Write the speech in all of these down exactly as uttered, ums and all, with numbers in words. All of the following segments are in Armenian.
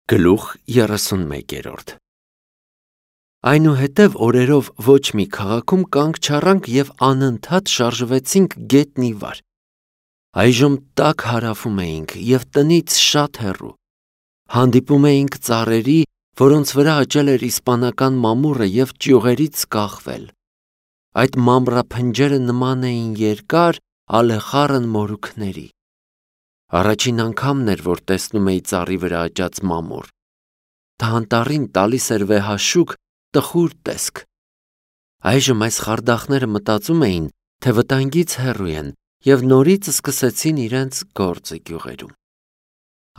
Գլուխ երեսունմեկ Այնուհետև օրերով ոչ մի քաղաքում կանգ չառանք և անընդհատ շարժվեցինք գետն ի վար։ Այժմ տաք հարավում էինք և տնից շատ հեռու։ Հանդիպում էինք ծառերի, որոնց վրա աճել էր իսպանական մամուռը և ճյուղերից կախվել։ Այդ մամռափնջերը նման էին երկար, ալեխառն մորուքների։ Առաջին անգամն էր, որ տեսնում էի ծառի վրա աճած մամուռ։ Դա անտառին տալիս էր վեհաշուք, տխուր տեսք։ Այժմ այս խարդախները մտածում էին, թե վտանգից հեռու են և նորից սկսեցին իրենց գործը գյուղերում։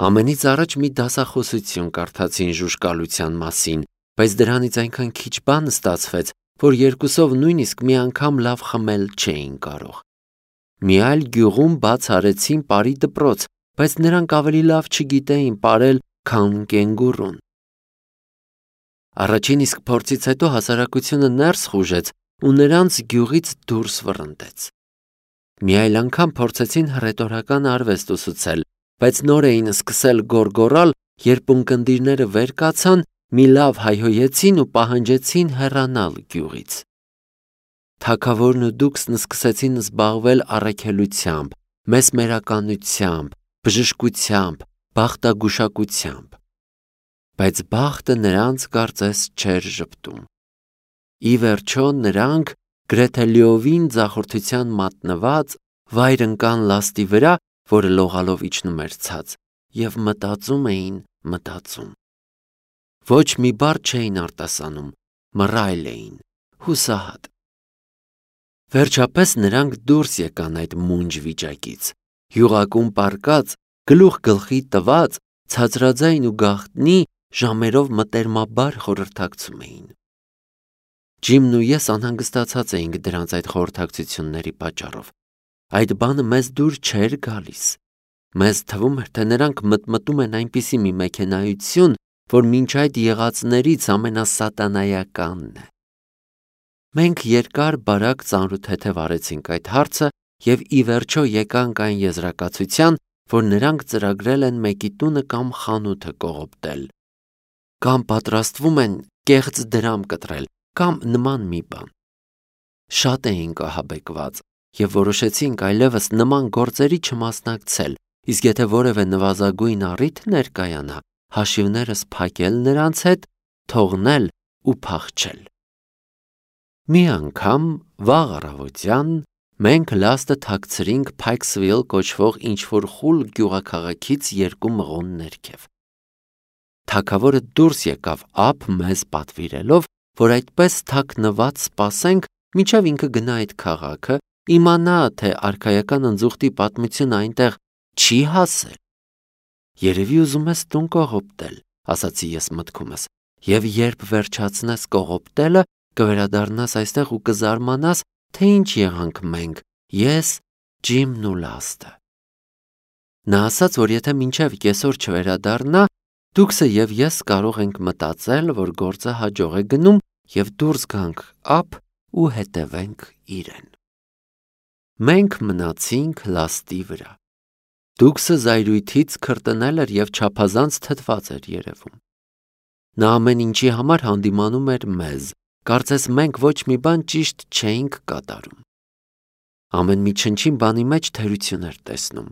Ամենից առաջ մի դասախոսություն կարդացին ժուժկալության մասին, բայց դրանից այնքան քիչ բան ստացվեց, որ երկուսով նույնիսկ մի անգամ լավ խմել չէին կարող։ Մի այլ գյուղում բաց արեցին պարի դպրոց, բայց նրանք ավելի լավ չգիտեին պարել, քան կենգուրուն։ Առաջին իսկ փորձից հետո հասարակությունը ներս խուժեց ու նրանց գյուղից դուրս վռնդեց։ Մի այլ անգամ փորձեցին հռետորական արվեստ ուսուցել, բայց նոր էին սկսել գոռգոռալ, երբ ունկնդիրները վեր կացան, մի լավ հայհոյեցին ու պահանջեցին հեռանալ գյուղից։ Թագավորն ու դուքսն սկսեցին զբաղվել առաքելությամբ, մեսմերականությամբ, բժշկությամբ, բախտագուշակությամբ։ Բայց բախտը նրանց կարծես չէր ժպտում։ Ի վերջո նրանք գրեթե լիովին ձախորդության մատնված վայր ընկան լաստի վրա, որը լողալով իջնում էր ցած, և մտածում էին, մտածում։ Ոչ մի բառ չէին արտասանում, մռայլ էին, հուսահատ։ Վերջապես նրանք դուրս եկան այդ մունջ վիճակից, յուղակում պառկած, գլուխ գլխի տված, ցածրաձայն ու գաղտնի ժամերով մտերմաբար խորհրդակցում էին։ Ջիմն ու ես անհանգստացած էինք դրանց այդ խորհրդակցությունների պատճառով։ Այդ բանը մեզ դուր չէր գալիս։ Մեզ թվում էր, թե նրանք մտմտում են այնպիսի մի մեքենայություն, որ մինչ այդ եղածներից ամենասատանայականն է։ Մենք երկար-բարակ ծանրութեթև արեցինք այդ հարցը և ի վերջո եկանք այն եզրակացության, որ նրանք ծրագրել են մեկի տունը կամ խանութը կողոպտել, կամ պատրաստվում են կեղծ դրամ կտրել, կամ նման մի բան։ Շատ էինք ահաբեկված և որոշեցինք այլևս նման գործերի չմասնակցել, իսկ եթե որևէ նվազագույն առիթ ներկայանա, հաշիվներս փակել նրանց հետ, թողնել ու փախչել։ Մի անգամ վաղ առավոտյան մենք լաստը թաքցրինք Փայքսվիլ կոչվող ինչ-որ խուլ գյուղաքաղաքից երկու մղոն ներքև։ Թագավորը դուրս եկավ ափ մեզ պատվիրելով, որ այդպես թաքնված սպասենք, մինչև ինքը գնա այդ քաղաքը, իմանա, թե արքայական ընձուղտի պատմությունը այնտեղ չի հասել։ Երևի ուզում ես տուն կողոպտել, ասացի ես մտքումս, և երբ վերջացնես կողոպտելը, կվերադառնաս այստեղ ու կզարմանաս, թե ինչ եղանք մենք, ես, Ջիմն ու լաստը։ Նա ասաց, որ եթե մինչև կեսօր չվերադառնա, դուքսը և ես կարող ենք մտածել, որ գործը հաջող է գնում և դուրս գանք ափ ու հետևենք իրեն։ Մենք մնացինք լաստի վրա։ Դուքսը զայրույթից քրտնել էր և չափազանց թթված էր երևում։ Նա ամեն ինչի համար հանդիմանում էր մեզ, կարծես մենք ոչ մի բան ճիշտ չէինք կատարում։ Ամեն մի չնչին բանի մեջ թերություն էր տեսնում։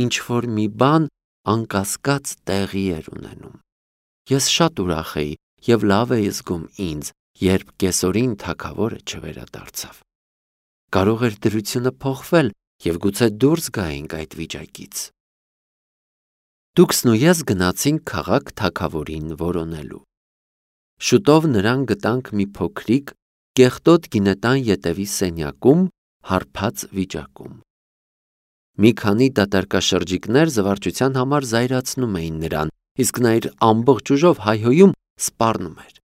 Ինչ-որ մի բան անկասկած տեղի էր ունենում։ Ես շատ ուրախ էի և լավ էի զգում ինձ, երբ կեսօրին թագավորը չվերադարձավ։ Կարող էր դրությունը փոխվել և գուցե դուրս գայինք այդ վիճակից։ Դուքսն ու ես գնացինք քաղաք թագավորին որոնելու։ Շուտով նրան գտանք մի փոքրիկ, կեղտոտ գինետան ետևի սենյակում, հարբած վիճակում։ Մի քանի դատարկաշրջիկներ զվարճության համար զայրացնում էին նրան, իսկ նա իր ամբողջ ուժով հայհոյում սպառնում էր։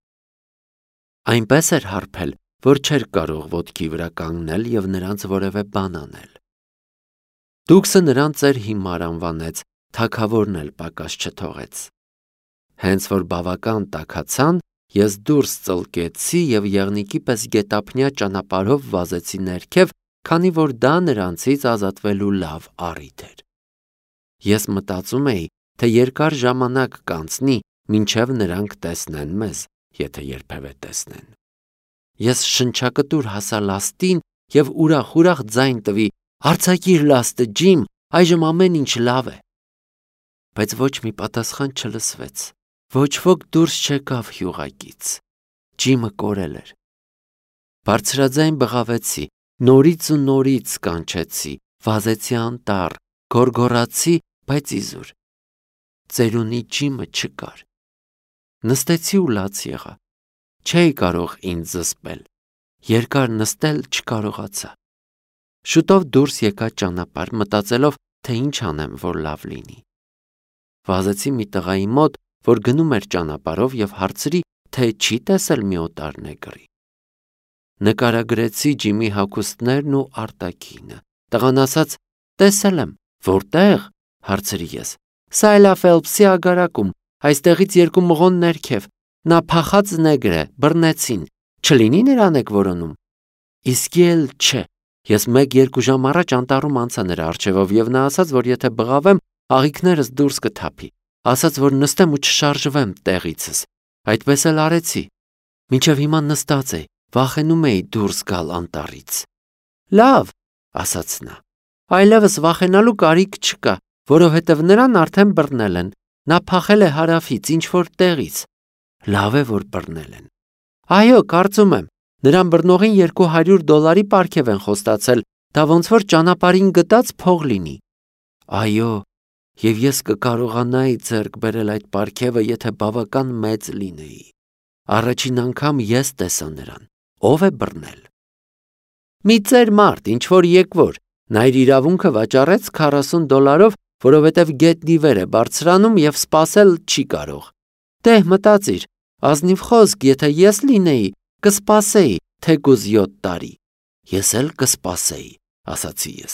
Այնպես էր հարբել, որ չէր կարող ոտքի վրա կանգնել և նրանց որևէ բան անել։ Դուքսը նրան ծեր հիմար անվանեց, թագավորն էլ պակաս չթողեց։ Հենց որ բավական տաքացան, ես դուրս ծլկեցի և եղնիկի պես գետափնյա ճանապարհով վազեցի ներքև, քանի որ դա նրանցից ազատվելու լավ առիթ էր։ Ես մտածում էի, թե երկար ժամանակ կանցնի, մինչև նրանք տեսնեն մեզ, եթե երբևէ տեսնեն։ Ես շնչակտուր հասա լաստին և ուրախ-ուրախ ձայն տվի. «Արձակիր լաստը, Ջիմ, այժմ ամեն ինչ լավ է»։ Բայց ոչ մի պատասխան չլսվեց, ոչ ոք դուրս չեկավ յուղակից։ Ջիմը կորել էր։ Բարձրաձայն բղավեցի, նորից ու նորից կանչեցի, վազեցի անտառ, գոռգոռացի, բայց իզուր։ Ծերունի Ջիմը չկար։ Նստեցի ու լաց եղա։ Չէի կարող ինձ զսպել։ Երկար նստել չկարողացա։ Շուտով դուրս եկա ճանապարհ, մտածելով, թե ինչ անեմ, որ լավ լինի։ Վազեցի մի տղայի մոտ, որ գնում էր ճանապարհով և հարցրի, թե չի տեսել մի օտար նեգրի։ Նկարագրեցի Ջիմի հագուստներն ու արտաքինը։ Տղան ասաց. «Տեսել եմ»։ «Որտե՞ղ»։ հարցրի ես։ «Սայլա Ֆելփսի ագարակում, այստեղից երկու մղոն ներքև։ Նա փախած նեգր է, բռնեցին։ Չլինի նրան եք որոնում»։ Իսկի էլ չէ։ Ես մեկ-երկու ժամ առաջ անտառում անցա նրա առջևով և նա ասաց, որ եթե բղավեմ, աղիքներս դուրս կթափի։ Ասաց, որ նստեմ ու չշարժվեմ տեղիցս։ Այդպես էլ արեցի։ Մինչև հիմա նստած էի, վախենում էի դուրս գալ անտառից։ «Լավ», ասաց նա, «այլևս վախենալու կարիք չկա, որովհետև նրան արդեն բռնել են։ Նա փախել է հարավից, ինչ-որ տեղից»։ «Լավ է, որ բռնել են»։ «Այո, կարծում եմ։ Նրան բռնողին երկու հարյուր դոլարի պարգև են խոստացել, դա ոնց որ ճանապարհին գտած փող լինի»։ «Այո, և ես կկարողանայի ձեռք բերել այդ պարգևը, եթե բավական մեծ լինեի։ Առաջին անգամ ես տեսա նրան։ Ո՞վ է բռնել»։ «Մի ծեր մարդ, ինչ-որ եկվոր, նա իր իրավունքը վաճառեց քառասուն դոլարով, որովհետև գետնի վեր է բարձրանում և սպասել չի կարող։ Դե մտածիր, ազնիվ խոսք, եթե ես լինեի, կսպասեի, թեկուզ յոթ տարի»։ «Ես էլ կսպասեի», ասացի ես,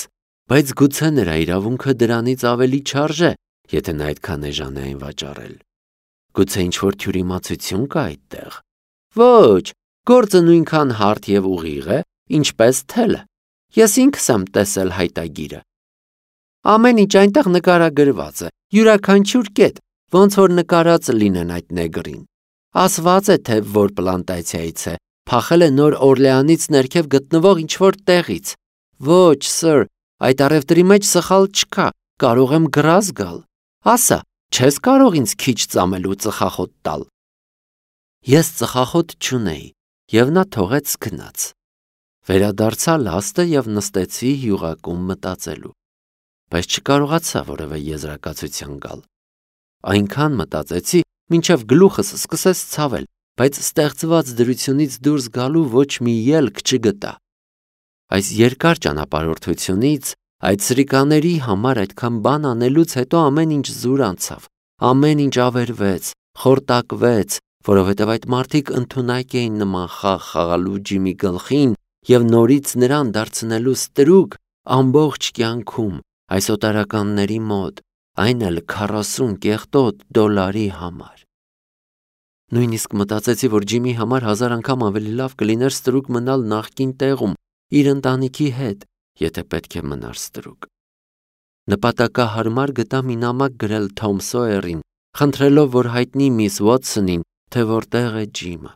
«բայց գուցե նրա իրավունքը դրանից ավելի չարժե, եթե նա այդքան էժան է այն վաճառել։ Գուցե ինչ-որ թյուրիմացություն կա այդտեղ։ Ոչ, գործը նույնքան հարթ և ուղիղ է, ինչպես թելը։ Ես ինքս եմ տեսել հայտագիրը։ Ամեն ինչ այնտեղ նկարագրված է, յուրաքանչյուր կետ, ոնց որ նկարած լինեն այդ նեգրին։ Ասված է, թե որ պլանտացիայից է, փախել է Նոր Օրլեանից ներքև գտնվող ինչ-որ տեղից։ Ոչ, սըր, այդ առևտրի մեջ սխալ չկա, կարող եմ գրազ գալ։ Ասա, չես կարող ինձ քիչ ծամելու ծխախոտ տալ։ Ես ծխախոտ չունեի, և նա թողեց գնաց։ Վերադարձա լաստը և նստեցի յուղակում մտածելու։ Բայց չկարողացա որևէ եզրակացության գալ։ Այնքան մտածեցի, մինչև գլուխս սկսեց ցավել, բայց ստեղծված դրությունից դուրս գալու ոչ մի ելք չգտա։ Այս երկար ճանապարհորդությունից, այդ սրիկաների համար այդքան բան անելուց հետո ամեն ինչ զուր անցավ, ամեն ինչ ավերվեց, խորտակվեց, որովհետև այդ մարդիկ ընդունակ էին նման խաղ խաղալու Ջիմի գլխին և նորից նրան դարձնելու ստրուկ ամբողջ կյանքում այս օտարականների մոտ, այն էլ քառասուն կեղտոտ դոլարի համար։ Նույնիսկ մտածեցի, որ Ջիմի համար հազար անգամ ավելի լավ կլիներ ստրուկ մնալ նախկին տեղում, իր ընտանիքի հետ, եթե պետք է մնար ստրուկ։ Նպատակահարմար գտա մի նամակ գրել Թոմ Սոյերին, խնդրելով, որ հայտնի միս Ուոթսոնին, թե որտեղ է Ջիմը։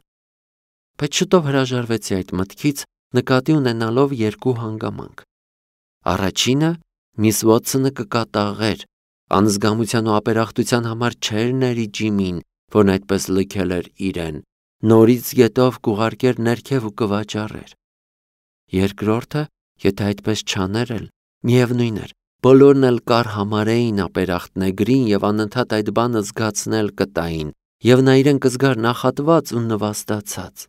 Բայց շուտով հրաժարվեցի այդ մտքից, նկատի ունենալով երկու հանգամանք։ Առաջինը, միս Ուոթսոնը կկատաղեր, անզգամության ու ապերախտության համար չէր ների Ջիմին, որն այդպես լքել էր իրեն, նորից գետով կուղարկեր ներքև ու կվաճառեր։ Երկրորդը, եթե այդպես չաներ էլ, միևնույն էր, բոլորն էլ կար համարեին ապերախտ նեգրին և անընդհատ այդ բանը զգացնել կտային, և նա իրեն կզգար նախատված ու նվաստացած։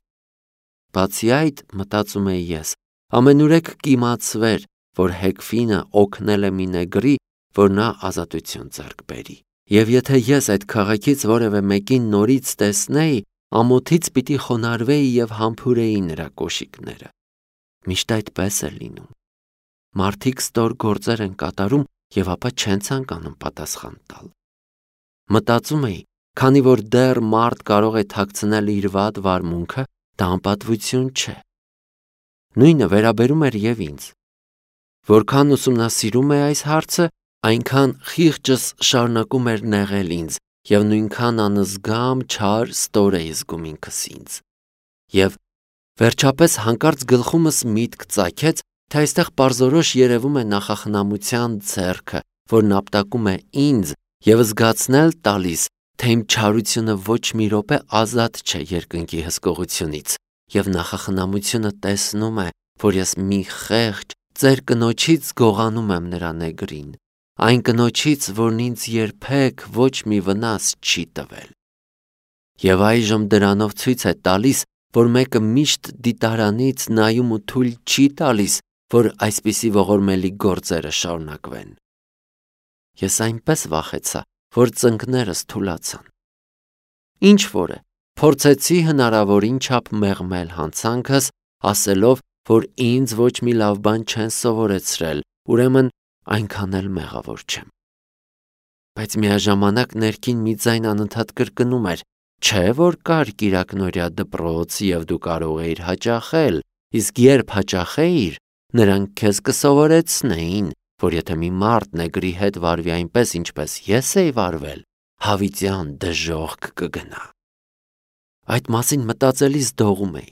Բացի այդ, մտածում էի ես, ամենուրեք կիմացվեր, որ Հեքֆինը օգնել է մի նեգրի, որ նա ազատություն ձեռք բերի։ Եվ եթե ես այդ քաղաքից որևէ մեկին նորից տեսնեի, ամոթից պիտի խոնարհվեի և համբուրեի նրա կոշիկները։ Միշտ այդպես է լինում։ Մարդիկ ստոր գործեր են կատարում և ապա չեն ցանկանում պատասխան տալ։ Մտածում էի, քանի որ դեռ մարդ կարող է թաքցնել իր վատ վարմունքը, դա անպատվություն չէ։ Նույնը վերաբերում էր և ինձ։ Որքան ուսումնասիրում էի այս հարցը, այնքան խիղճս շարունակում էր նեղել ինձ, և նույնքան անզգամ չար ստոր էի զգում ինքս ինձ։ Եվ վերջապես հանկարծ գլխումս միտք ծագեց, թե այստեղ պարզորոշ երևում է նախախնամության ձեռքը, որն ապտակում է ինձ և զգացնել տալիս, թե իմ չարությունը ոչ մի րոպե ազատ չէ երկնքի հսկողությունից, և նախախնամությունը տեսնում է, որ ես մի խեղճ ծեր կնոջից գողանում եմ նրա նեգրին, այն կնոջից, որն ինձ երբեք ոչ մի վնաս չի տվել։ Եվ այժմ դրանով ցույց է տալիս, որ մեկը միշտ դիտարանից նայում ու թույլ չի տալիս, որ այսպիսի ողորմելի գործերը շարունակվեն։ Ես այնպես վախեցա, որ ծնկներս թուլացան։ Ինչ որ է, փորձեցի հնարավորին չափ մեղմել հանցանքս, ասելով, որ ինձ ոչ մի լավ բան չեն սովորեցրել, ուրեմն այնքան էլ մեղավոր չեմ։ Բայց միաժամանակ ներքին մի ձայն անընդհատ կրկնում էր. չէ՞ որ կար կիրակնօրյա դպրոց և դու կարող էիր հաճախել, իսկ երբ հաճախեիր, նրանք քեզ կսովորեցնեին, որ եթե մի մարդ նեգրի հետ վարվի այնպես, ինչպես ես էի վարվել, հավիտյան դժոխք կգնա։ Այդ մասին մտածելիս դողում էի։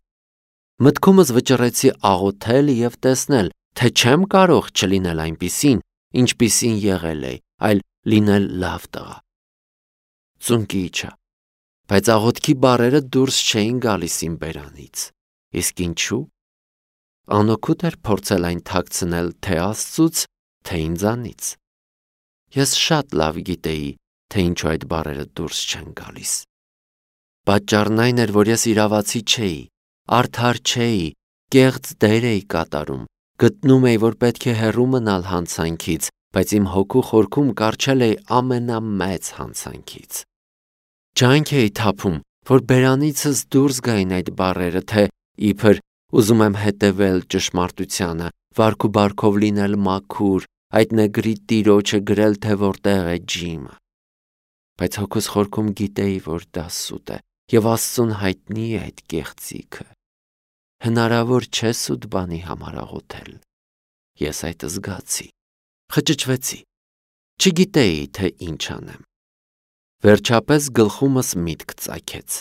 Մտքումս վճռեցի աղոթել և տեսնել, թե չեմ կարող չլինել այնպիսին, ինչպիսին եղել էի, այլ լինել լավ տղա։ Ծունկի իջա, բայց աղոթքի բառերը դուրս չէին գալիս իմ բերանից։ Իսկ ինչու՞։ Անօգուտ էր փորձել այն թաքցնել թե Աստծուց, թե ինձանից։ Ես շատ լավ գիտեի, թե ինչու այդ բառերը դուրս չեն գալիս։ Պատճառն այն էր, որ ես իրավացի չէի, արդար չէի, կեղծ դեր էի կատարում, գտնում էի, որ պետք է հեռու մնալ հանցանքից, բայց իմ հոգու խորքում կառչել էի ամենամեծ հանցանքից։ Ջանք էի թափում, որ բերանիցս դուրս գային այդ բառերը, թե իբր ուզում եմ հետևել ճշմարտությանը, վարք ու բարքով լինել մաքուր, այդ նեգրի տիրոջը գրել, թե որտեղ է Ջիմը։ Բայց հոգուս խորքում գիտեի, որ դա սուտ է, և Աստծուն հայտնի է այդ կեղծիքը։ Հնարավոր չէ սուտ բանի համար աղոթել։ Ես այդ զգացի, խճճվեցի, չգիտեի, թե ինչ անեմ։ Վերջապես գլխումս միտք ծագեց։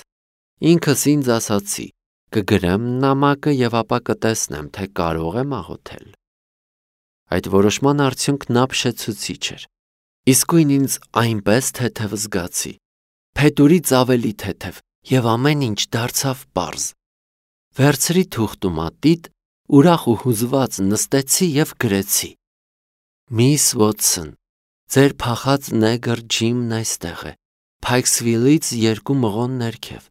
Ինքս ինձ ասացի. կգրեմ նամակը և ապա կտեսնեմ, թե կարող եմ աղոթել։ Այդ որոշման արդյունքն ապշեցուցիչ էր։ Իսկույն ինձ այնպես թեթև զգացի, փետուրից ավելի թեթև, և ամեն ինչ դարձավ պարզ։ Վերցրի թուղթ ու մատիտ, ուրախ ու հուզված նստեցի և գրեցի. Միս Վոթսոն, ձեր փախած նեգր Ջիմն այստեղ է, Փայքսվիլից երկու մղոն ներքև։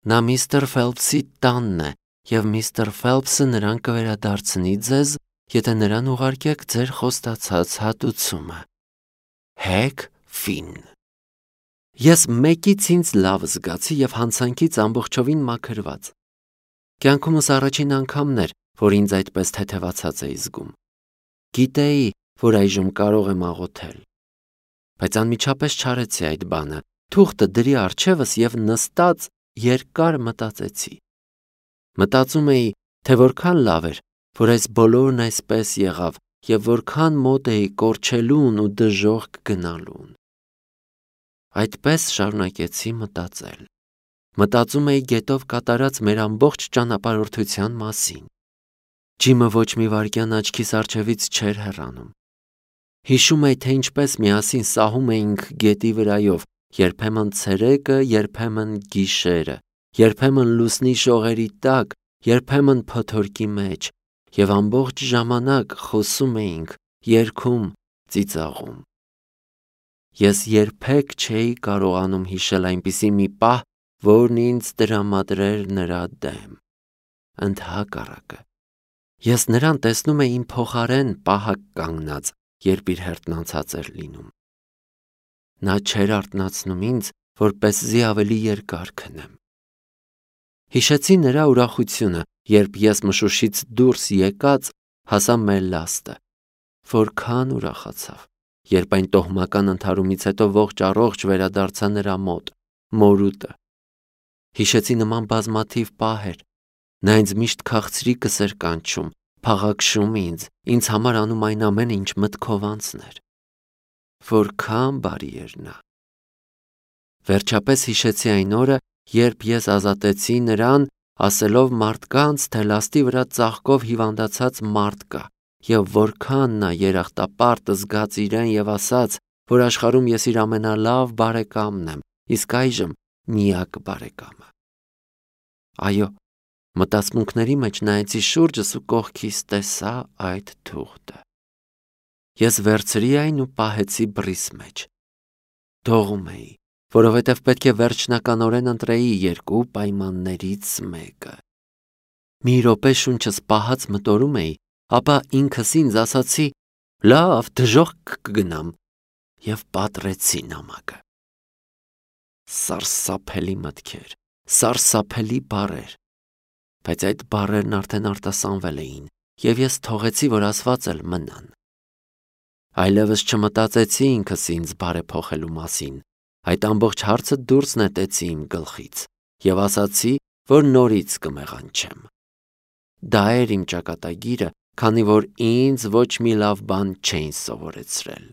Նա միստր Ֆելփսի տանն է, և միստր Ֆելփսը նրան կվերադարձնի ձեզ, եթե նրան ուղարկեք ձեր խոստացած հատուցումը։ Հեգ Ֆին։ Ես մեկից ինձ լավ զգացի և հանցանքից ամբողջովին մաքրված։ Կյանքումս առաջին անգամն էր, որ ինձ այդպես թեթևացած էի զգում։ Գիտեի, որ այժմ կարող եմ աղոթել։ Բայց անմիջապես չարեցի այդ բանը, թուղթը դրի առջևս և նստած երկար մտածեցի։ Մտածում էի, թե որքան լավ էր, որ այս բոլորն այսպես եղավ և որքան մոտ էի կորչելուն ու դժոխք գնալուն։ Այդպես շարունակեցի մտածել։ Մտածում էի գետով կատարած մեր ամբողջ ճանապարհորդության մասին։ Ջիմը ոչ մի վայրկյան աչքիս առջևից չէր հեռանում։ Հիշում էի, թե ինչպես միասին սահում էինք գետի վրայով, երբեմն ցերեկը, երբեմն գիշերը, երբեմն լուսնի շողերի տակ, երբեմն փոթորկի մեջ, և ամբողջ ժամանակ խոսում էինք, երգում, ծիծաղում։ Ես երբեք չէի կարողանում հիշել այնպիսի մի պահ, որն ինձ տրամադրեր նրա դեմ։ Ընդհակառակը, ես նրան տեսնում էի իմ փոխարեն պահակ կանգնած, երբ իր հերթն անցած էր լինում։ Նա չէր արթնացնում ինձ, որպեսզի ավելի երկար քնեմ։ Հիշեցի նրա ուրախությունը, երբ ես մշուշից դուրս եկած հասա մեր լաստը։ Որքան ուրախացավ, երբ այն տոհմական ընդհարումից հետո ողջ առողջ վերադարձա նրա մոտ, մորուտը։ Հիշեցի նման բազմաթիվ պահեր։ Նա ինձ միշտ քաղցրիկս էր կանչում, փաղաքշում ինձ, ինձ համար անում այն ամենը, ինչ մտքով անցներ։ Որքան բարի էր նա։ Վերջապես հիշեցի այն օրը, երբ ես ազատեցի նրան, ասելով մարդկանց, թե լաստի վրա ծաղկով հիվանդացած մարդ կա, եւ որքան նա երախտապարտ զգաց իրեն եւ ասաց, որ աշխարհում ես իր ամենալավ բարեկամն եմ, իսկ այժմ միակ բարեկամը։ Այո, մտածմունքների մեջ նայեցի շուրջս ու կողքիս տեսա այդ թուղթը։ Ես վերցրի այն ու պահեցի բռիս մեջ։ Դողում էի, որովհետև պետք է վերջնականորեն ընտրեի երկու պայմաններից մեկը։ Մի րոպե շունչս պահած մտորում էի, ապա ինքս ինձ ասացի. լավ, դժոխք կգնամ, եւ պատռեցի նամակը։ Սարսափելի մտքեր, սարսափելի բառեր, բայց այդ բառերն արդեն արտասանվել էին, եւ ես թողեցի, որ ասված էլ մնան։ Այլևս չմտածեցի ինքս ինձ բարեփոխելու մասին, այդ ամբողջ հարցը դուրս նետեցի իմ գլխից եւ ասացի, որ նորից կմեղանչեմ։ Դա էր իմ ճակատագիրը, քանի որ ինձ ոչ մի լավ բան չէին սովորեցրել։